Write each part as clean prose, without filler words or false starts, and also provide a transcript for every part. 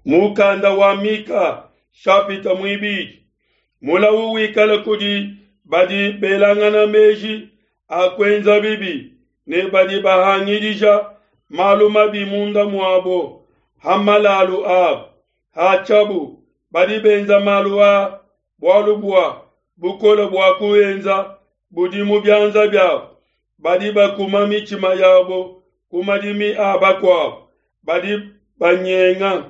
Mukanda wa Mika shapita muibidi. Mulawu wikale kudi badi belangana meji a kuenza bibi ne badi bahangidija malu mabi munda muabo ha malalu abo. Hatshiabu badi benza malu aa bualu bua bukole bua kuenza budi mu bianza biabo. Badi bakuma mitshima yabo ku madimi a bakuabo, badi banyenga,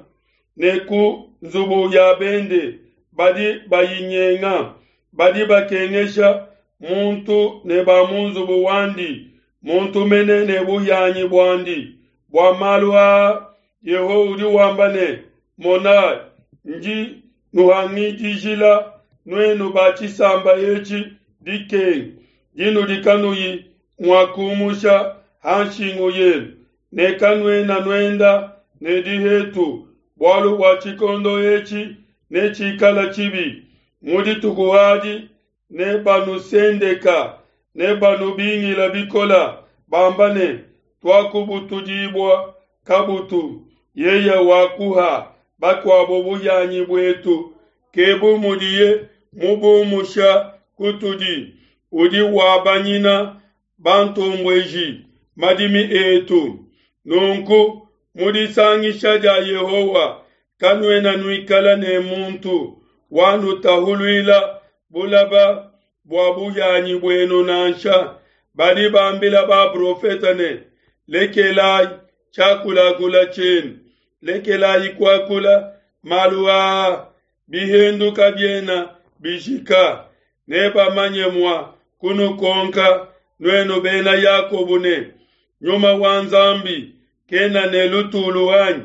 ne ku nzubu ya bende badi bayinyenga. Badi bakengesha muntu ne ba mu nzubu wandi, muntu mene ne buhianyi buandi. Bua malu aa Yehowa udi wamba ne, Monai, ndi nuhangidijila nuenu ba tshisamba etshi dikenga dinudi kanuyi mua kumusha ha nshingu yenu, ne kanuena nuenda ne dihetu, bualu bua tshikondo etshi netshikale tshibi. Mu dituku adi nebanusendeka, nebanubingila bikola, bamba ne, Tuakubutudibua kabutu, yeye wakuha bakuabo buhianyi buetu, ke bu mudiye mubumusha kutudi, udi wabanyina bantombueji madimi etu. Nunku mu disangisha dia Yehowa kanuena nuikala ne muntu wanutahuluila bulaba bua buhianyi buenu nansha. Badi bambila baprofete ne, Lekelai tshiakulakula tshienu, lekelai kuakula malu aa, bihendu kabiena bijika. Nebamanye mua kunukonka nuenu bena Yakobo ne, Nyuma wa Nzambi kena ne lutulu anyi?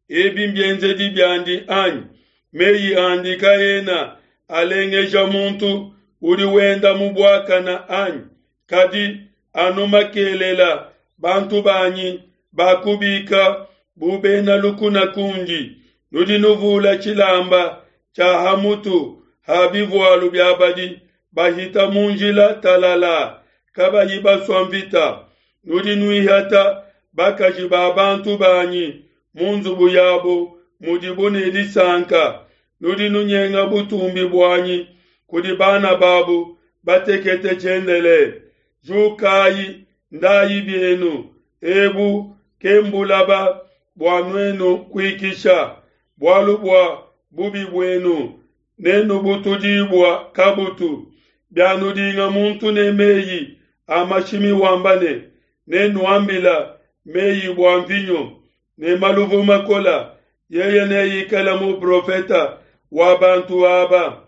Ebi mbienzedi biandi anyi? Meyi andi kaena alengeja muntu udi wenda mu buakana anyi? Kadi anu makelela bantu banyi bakubika bu bena lukuna kundi. Nudi nuvula tshilamba tshia ha mutu ha bivualu bia badi bahita mu njila talala, kabayi basua mvita. Nudi nuihata bakaji ba bantu banyi mu nzubu yabo mudibo ne disanka. Nudi nunyenga butumbi buanyi kudi bana babo batekete tshiendelele. Jukayi, ndayi bienu, ebu ke mbulaba bua nuenu kuikisha, bualu bua bubi buenu nenubutudibua kabutu. Bianudinga muntu ne meyi a mashimi wamba ne, Nenuambila meyi bua mvinyo ne maluvu makola, yeye neikale muprofeta wa bantu aba.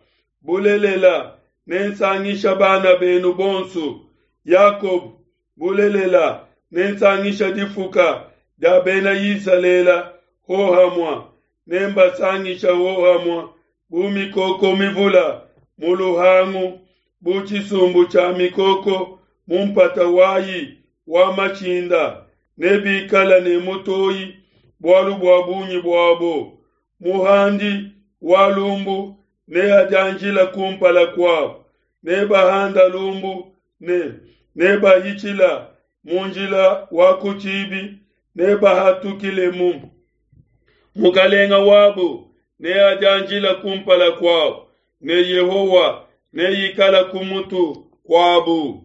Bulelela, nensangisha bana benu bonso, Yakobo, bulelela, nensangisha difuka dia bena Isalele hohamua, nembasangisha hohamua bu mikoko mivula mu luhangu, bu tshisumbu tshia mikoko mu mpata wayi wa mashinda, nebikale ne mutoyi bualu bua bungi buabo. Muhandi wa lumbu neadianjila kumpala kuabo, nebahanda lumbu ne nebahitshila mu njila wa ku tshibi, nebahatukilemu. Mukalenga wabo neadianjila kumpala kuabo, ne Yehowa neikala ku mutu kuabo.